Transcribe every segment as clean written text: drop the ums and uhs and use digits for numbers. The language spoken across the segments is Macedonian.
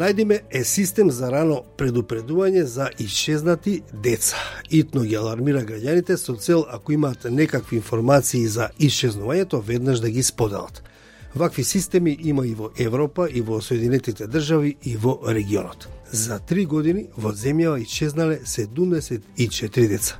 Најдиме е систем за рано предупредување за исчезнати деца. Итно ги алармира граѓаните со цел ако имаат некакви информации за исчезнувањето, веднаш да ги споделат. Вакви системи има и во Европа, и во Соединетите држави, и во регионот. За 3 години во земјава исчезнале 74 деца.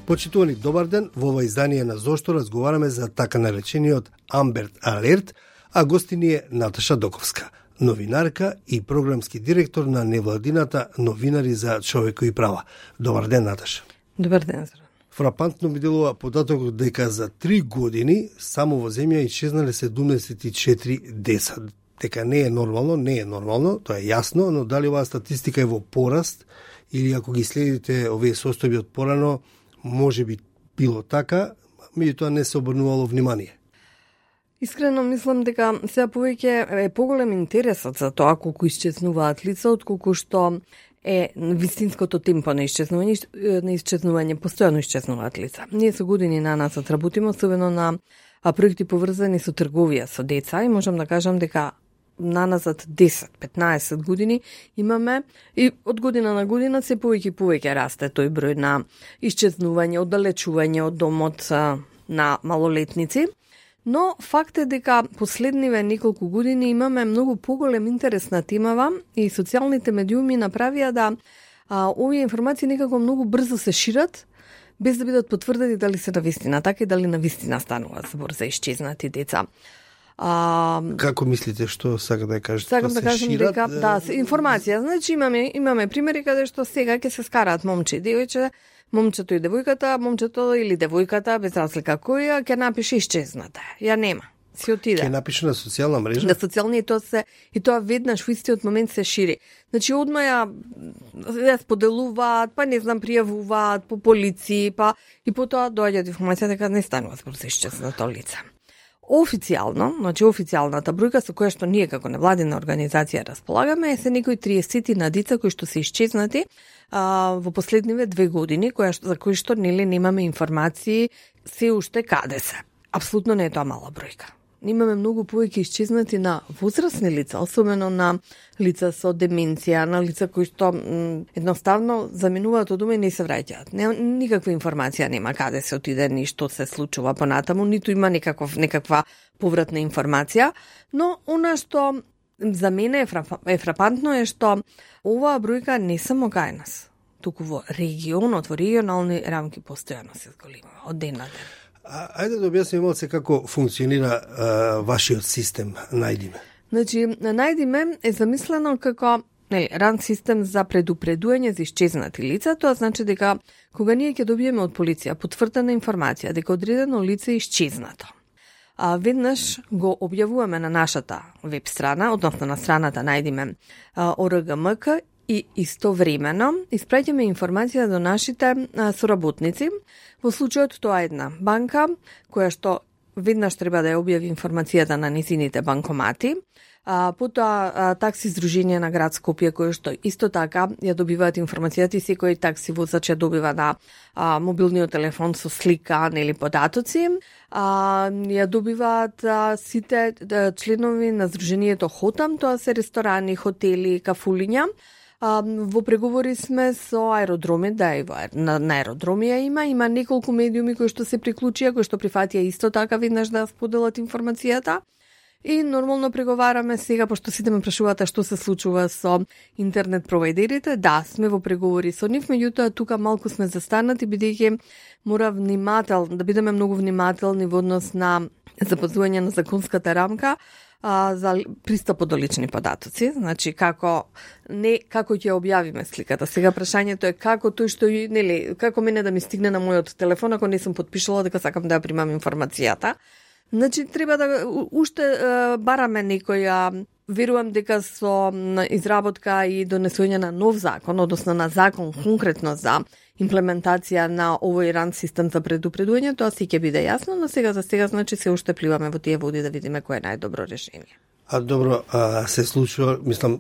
Почитувани, добар ден. Во ова издание на Зошто разговараме за така наречениот Амбер Алерт, а гости ни е Наташа Доковска, новинарка и програмски директор на невладината Новинари за човекови права. Добар ден, Наташа. Добар ден, Зоран. Фрапантно ми делува податокот дека за 3 години само во земја исчезнале 74 деца. Дека не е нормално, тоа е јасно, но дали оваа статистика е во пораст или ако ги следите овие состојби од порано, може би било така, меѓутоа не се обрнувало внимание. Искрено мислам дека сега повеќе е поголем интересот за тоа колку исчезнуваат лица, отколку што е вистинското темпо на исчезнување, постојано исчезнуваат лица. Ние со години на нас работиме, особено на проекти поврзани со трговија со деца, и можам да кажам дека наназад 10-15 години имаме и од година на година се повеќе расте тој број на исчезнување, оддалечување од домот на малолетници. Но факт е дека последниве неколку години имаме многу поголем интерес на темава и социјалните медиуми направија да овие информации некако многу брзо се шират, без да бидат потврдени дали се навистина така и дали навистина станува збор за исчезнати деца. Како мислите, што сака да кажете? Сакам да кажам дека информација, значи имаме примери каде што сега ќе се скараат момче и девојче, момчето и девојката, момчето или девојката, без разлика која, ќе напише исчезната. Ја нема. Си отиде. Ќе напише на социјална мрежа? На социјални и тоа веднаш во истиот момент се шири. Значи одма ја споделуваат, па не знам, пријавуваат по полиција, па и потоа доаѓа информација дека не станува збор за исчезнато лице. Официјално, значи официјалната бројка со која што ние како невладина организација располагаме е се некои 30 на деца кои што се исчезнати во последниве 2 години, за кои што немаме информации се уште каде се. Апсолутно не е тоа мала бројка. Имаме многу повеќе исчезнати на возрастни лица, особено на лица со деменција, на лица кои што едноставно заминуваат од дома и не се враќаат. Никаква информација нема каде се отиде, ни што се случува понатаму, ниту има некаква повратна информација, но она што за мене е фрапантно е што оваа бројка не само кај нас, туку во регионот, во регионални рамки постојано се зголемува од ден на ден. Ајде да објасним малце како функционира вашиот систем Најдиме. Значи, Најдиме е замислено како ран систем за предупредување за исчезнати лица. Тоа значи дека кога ние ќе добиеме од полиција потврдена информација дека одредено лице е исчезнато, веднаш го објавуваме на нашата веб страна, односно на страната Најдиме ОРГМК, и истовремено испраќаме информација до нашите соработници. Во случајот тоа е една банка која што веднаш треба да ја објави информацијата на низините банкомати, потоа такси здружение на град Скопје кој што исто така ја добиваат информацијата и секој такси возач ја добива на мобилниот телефон со слика или податоци. Ја добиваат сите членови на здруженијето Хотам, тоа се ресторани, хотели, кафулиња. Во преговори сме со аеродроми, на аеродромија има неколку медиуми кои што се приклучија, кои што прифатија исто така веднаш да споделат информацијата. И нормално преговараме сега, пошто сите ме прашуваат што се случува со интернет провајдерите. Да, сме во преговори со нив, меѓутоа тука малку сме застанати, бидејќи мора да бидеме многу внимателни во однос на запазување на законската рамка за пристапот до лични податоци, значи како ќе објавиме сликата. Сега прашањето е како тој што како мене да ми стигне на мојот телефон ако не сум потпишала дека сакам да ја примам информацијата. Значи треба да уште бараме некоја, верувам дека со изработка и донесување на нов закон, односно на закон конкретно за имплементација на овој ран систем за предупредување, тоа си ќе биде јасно, но сега за сега значи се уште пливаме во тие води да видиме кој е најдобро решение. Добро, се случува, мислам,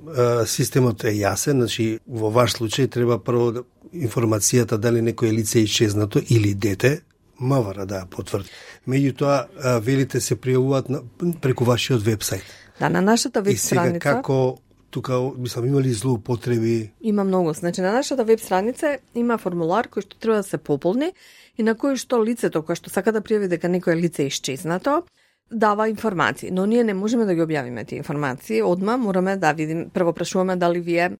системот е јасен, значи во ваш случај треба прво информацијата дали некој лице е исчезнато или дете, МВР да потврди. Меѓутоа, велите се пријавуваат преку вашиот вебсайт. Да, на нашата веб И сега страница како тука, мислам, има ли злоупотреби? има многу. Значи, на нашата веб страница има формулар кој што треба да се пополни и на кој што лицето кој што сака да пријави дека некое лице е исчезнато, дава информации. Но ние не можеме да ги објавиме тие информации. Одма мораме да видим, прво прашуваме дали вие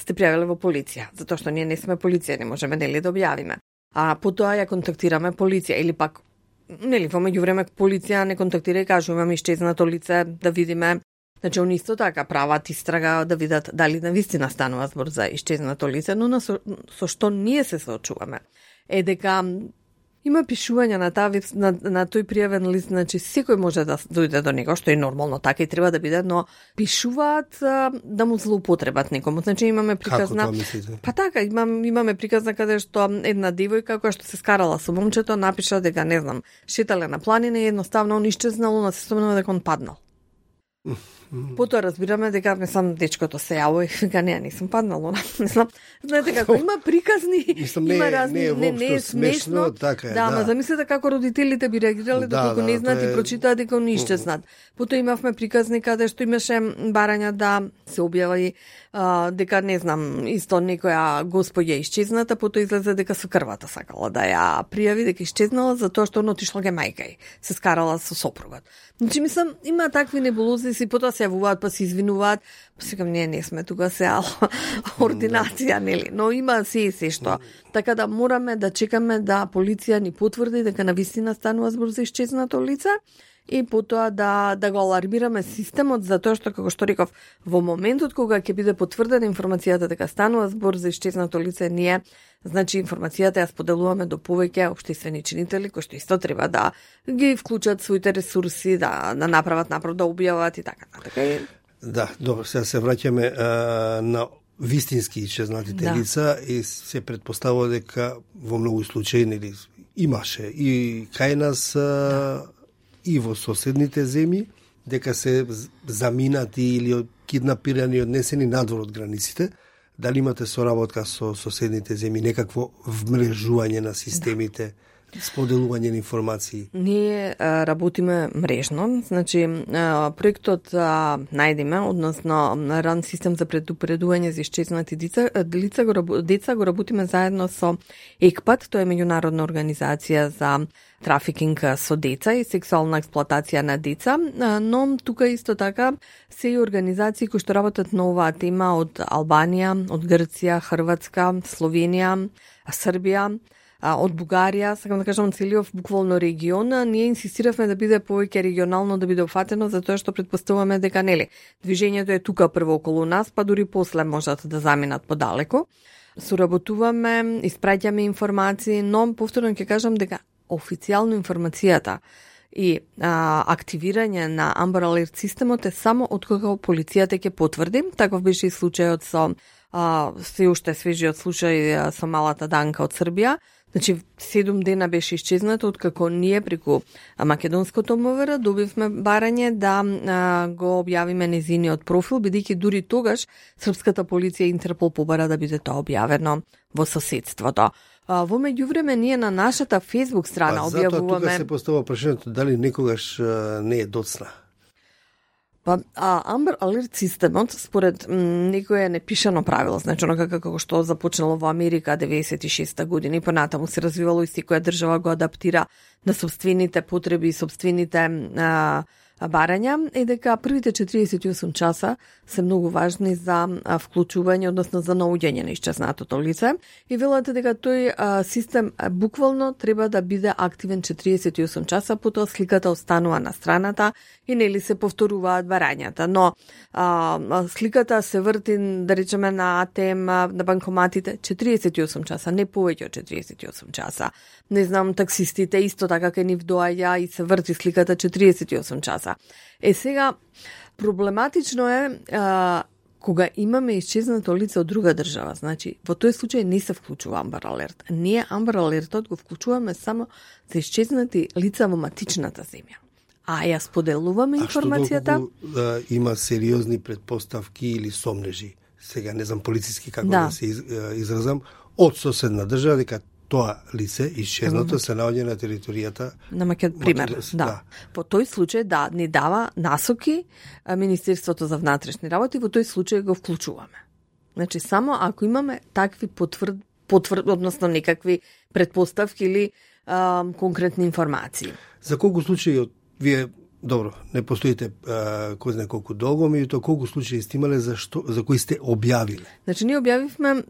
сте пријавиле во полиција, затоа што ние не сме полиција, не можеме нели да објавиме. А потоа ја контактираме полиција или пак нели во меѓувреме полиција не контактира и кажува имаме исчезнато лице, да видиме. Значи, они исто така прават истрага да видат дали навистина станува збор за исчезнато лице, но со што ние се соочуваме е дека има пишување на таа на тој пријавен лист, значи секој може да дојде до него, што е нормално, така и треба да биде, но пишуваат да му злоупотребат некому. Значи имаме приказна. Како тоа мислите? Па така, имаме приказна каде што една девојка која што се скарала со момчето напиша дека не знам, шетале на планина и едноставно он исчезнал, она се спомнува дека он паднал. Потоа разбираме дека мислам дечкото се јаво и вика не сум паднало, не знам. Знаете како има приказни, има разни, не е смешно, така е, да, ама замислете како родителите би реагирале доколку не знаат и прочитаат дека они исчезнат. Потоа имавме приказни каде што имаше барања да се објави дека не знам, исто некоја господја исчезната, потоа излезе дека со крвата сакала да ја пријави дека исчезнала затоа што она отишла ге мајка ѝ, се скарала со сопругот. Значи мислам има такви небулози, си потоа се јавуваат па се извинуваат, па секам не сме тука се ординација, нели, но има се што. Така да мораме да чекаме да полиција ни потврди дека навистина станува збор за исчезнато лице и потоа да го алармираме системот, затоа што, како што реков, во моментот кога ќе биде потврдена информацијата дека станува збор за исчезнато лице, ние, значи, информацијата ја споделуваме до повеќе општествени чинители, кои што исто треба да ги вклучат своите ресурси, да направат да објават и така. Да, добро, сега се враќаме на вистински исчезнатите лица и се предпоставува дека во многу случаи нели имаше и кај нас и во соседните земји, дека се заминати или киднапирани и однесени надвор од границите. Дали имате соработка со соседните земји, некакво вмрежување на системите, споделување на информации? Ние работиме мрежно, значи проектот Најдиме, односно ран систем за предупредување за исчезнати деца го работиме заедно со ЕКПАТ, тоа е меѓународна организација за трафикинг со деца и сексуална експлоатација на деца, но тука исто така се и организации кои што работат на оваа тема од Албанија, од Грција, Хрватска, Словенија, Србија, од Бугарија, сакам да кажам целиот буквално регион. Ние инсистиравме да биде повеќе регионално, да биде офатено, затоа што предпоставуваме дека нели движењето е тука прво околу нас, па дури после можат да заминат подалеку. Соработуваме, испраќаме информации, но повторно ќе кажам дека официјално информацијата и активирање на Amber Alert системот е само откога полицијата ќе потврди. Таков беше и случајот со се уште свежиот случај со малата Данка од Србија. Значи, 7 дена беше исчезнато откако ние преку македонското МВР добивме барање да го објавиме незиниот профил, бидејќи дури тогаш српската полиција и Интерпол побара да биде тоа објавено во соседството. Во меѓувреме ние на нашата Facebook страна објавуваме... Затоа тука се поставува прашањето дали некогаш не е доцна. Па, Amber Alert системот, според некое непишано правило, значи онока како што започнало во Америка 96-та година и понатаму се развивало и секоја држава го адаптира на собствените потреби и собствените барања, е дека првите 48 часа се многу важни за вклучување, односно за наоѓање на исчезнатото лице. И велате дека тој систем буквално треба да биде активен 48 часа, потоа сликата останува на страната и нели се повторуваат барањата. Но сликата се врти, да речеме, на АТМ, на банкоматите 48 часа, не повеќе од 48 часа. Не знам, таксистите исто така кај нив доаѓа и се врти сликата 48 часа. Сега, проблематично е кога имаме исчезнато лице од друга држава. Значи, во тој случај не се вклучува Amber Alert. Ние Amber Alert го вклучуваме само за исчезнати лица во матичната земја. А ја споделуваме информацијата... А што доколку има сериозни предпоставки или сомнежи, сега не знам полициски како да се изразам, од соседна држава, дека тоа лице исчезнато се наоѓа на територијата на пример, да. Во тој случај ни дава насоки Министерството за внатрешни работи, во тој случај го вклучуваме. Значи само ако имаме такви односно некакви претпоставки или конкретни информации. За колку случаи вие добро, не постоите кој знае колку долго, меѓутоа колку случаи сте имале за кои сте објавиле? Значи ние објавивме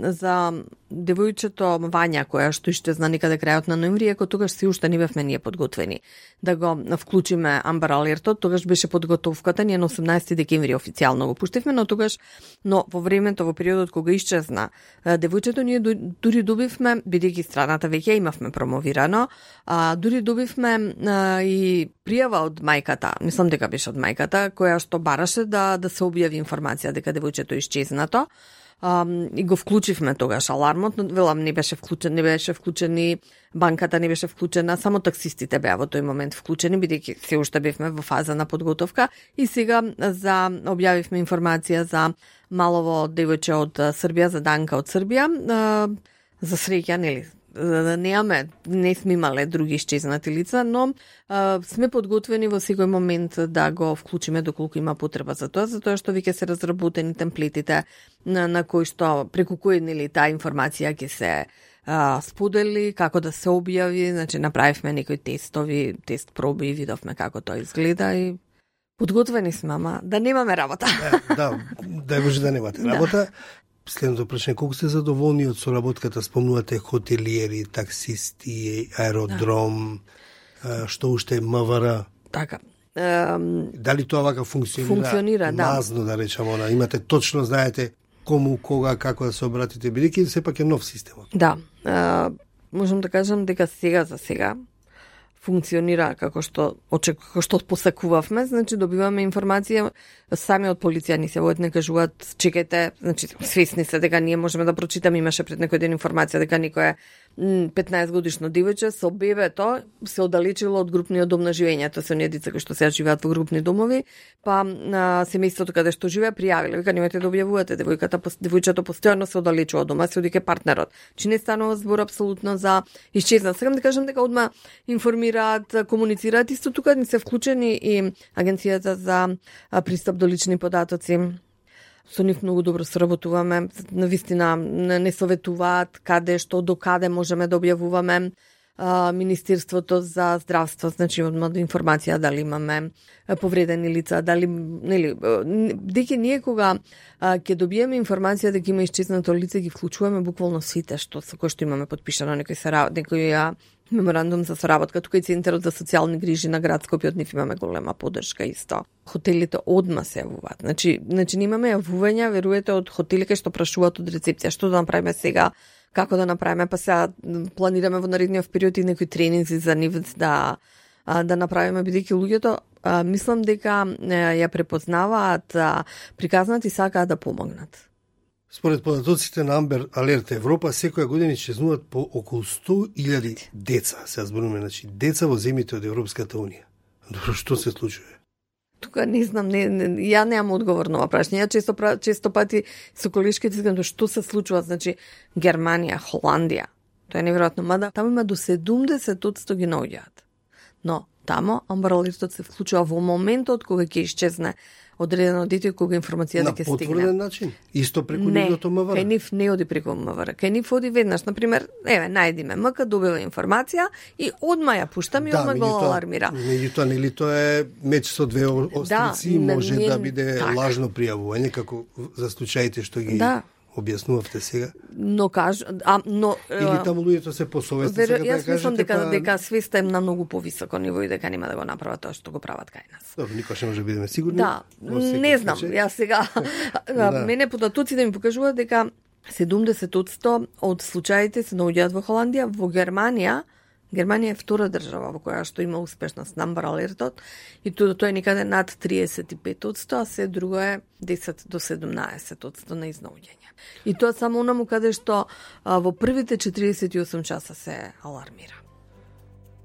за девојчето Вања која што исчезна некаде крајот на ноември, ако тогаш се уште не бевме ние подготвени да го вклучиме Амбер Алертот, тогаш беше подготовката, ние на 18 декември официјално го пуштивме, но во времето, во периодот кога исчезна девојчето, ние дури добивме, бидејќи страната веќе имавме промовирано, дури добивме и пријава од мајката, мислам дека беше од мајката, која што бараше да се објави информација дека девојчето исчезнато. И го вклучивме тогаш алармот, но велам не беше вклучен и банката не беше вклучена, само таксистите беа во тој момент вклучени, бидејќи се уште бевме во фаза на подготовка и сега објавивме информација за малово девојче од Србија, за Данка од Србија, за среќа, нели? Не сме имале други исчезнати лица, но сме подготвени во секој момент да го вклучиме доколку има потреба за тоа, затоа што веќе се разработени темплетите на кои што преку кои таа информација ќе се сподели, како да се објави, значи направивме некои тест проби и видовме како тоа изгледа и подготвени сме, ама да немаме работа. Да може да немате работа. Следното прашање, колку сте задоволни од соработката, спомнувате хотелиери, таксисти, аеродром, што уште МВР? Така. Дали тоа вака функционира мазно, да речеме, имате точно, знаете кому, кога, како да се обратите, бидејќи сепак е нов системот. Да, можам да кажам дека за сега функционира како што посакувавме, значи добиваме информација, сами од полиција ни се водат, не кажуваат чекајте, значи свесни се дека ние можеме да прочитаме, имаше пред некој ден информација дека некој 15 годишно девојче со бебето се оддалечило од групниот дом на живење, тоа се оние деца кои што сега живеат во групни домови, па на семејството каде што живее пријавиле, вика немојте да објавувате, девојчето постојано се оддалечува од дома, се оди кај партнерот. Чи не станува збор апсолутно за исчезнат. Сакам да кажам дека одма информираат, комуницираат, исто тука ни се вклучени и Агенцијата за пристап до лични податоци. Со нив многу добро соработуваме, навистина не советуваат каде, што, до каде можеме да објавуваме. Министерството за здравство, значи одма информација дали имаме повредени лица, дали дека ние кога ќе добиеме информација дека има исчезнато лице, ги вклучуваме буквално сите со кои што имаме подпишано некој меморандум за соработка, тука и Центарот за социјални грижи на град Скопје, од нив имаме голема поддршка исто. Хотелите одма се јавуваат. Значи имаме јавувања, веруете, од хотели кај што прашуваат од рецепција што да направиме сега, како да направиме, па сега планираме во наредниот период и некои тренинзи за нив да направиме, бидејќи луѓето мислам дека ја препознаваат приказнат и сакаат да помогнат. Според податоците на Амбер Алерт Европа, секоја година исчезнуваат по околу 100.000 деца. Се зборуваме, значи, деца во земјите од Европската Унија. Добро, што се случува? Тука не знам, ја немам одговор на ова прашање. Ја често пати со колешките искам што се случува, значи Германија, Холандија. Тоа е неверојатно, мада таму има до 70% ги наоѓаат. Но тамо Амбер Алертот се вклучува во моментот кога ќе исчезне одредено дете кога информацијата ќе стигне. На потврден начин? Исто преку нивното МВР? Не, кај нив не оди преку МВР. Кај нив оди веднаш, например, најдиме МК, добива информација и одма ја пуштаме и одма го алармира. Меѓутоа, нели тоа е меч со две острици, може да биде лажно пријавување, како за случаите што ги објаснувавте сега. Или таму луѓето се посовестни, сега да кажете. Јас мислам дека свеста е на многу повисоко ниво и дека нема да го направат тоа што го прават кај нас. Добро, никош не може да бидеме сигурни. Да, не знам, јас сега мене податоците ми покажуваат дека 70% од случаите се наоѓаат во Холандија, во Германија е втора држава во која што има успешност на Амбер Алертот и тоа е некаде над 35%, а се друго е 10 до 17% на изнаоѓање. И тоа само онаму каде што во првите 48 часа се алармира.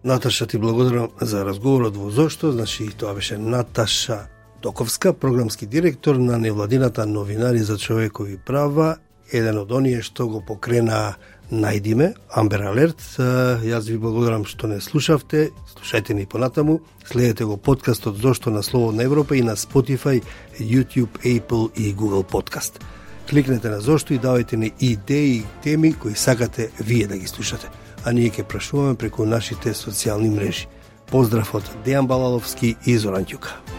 Наташа, ти благодарам за разговорот во Зошто. Значи, тоа беше Наташа Токовска, програмски директор на невладината Новинари за човекови права, еден од оние што го покрена Најди ме, Амбер Алерт. Јас ви благодарам што не слушавте. Слушајте ни понатаму. Следете го подкастот Зошто на Слободна Европа и на Spotify, YouTube, Apple и Google Podcast. Кликнете на Зошто и давајте ни идеи и теми кои сакате вие да ги слушате. А ние ќе прашуваме преку нашите социјални мрежи. Поздрав од Дејан Балаловски и Зоран Ќука.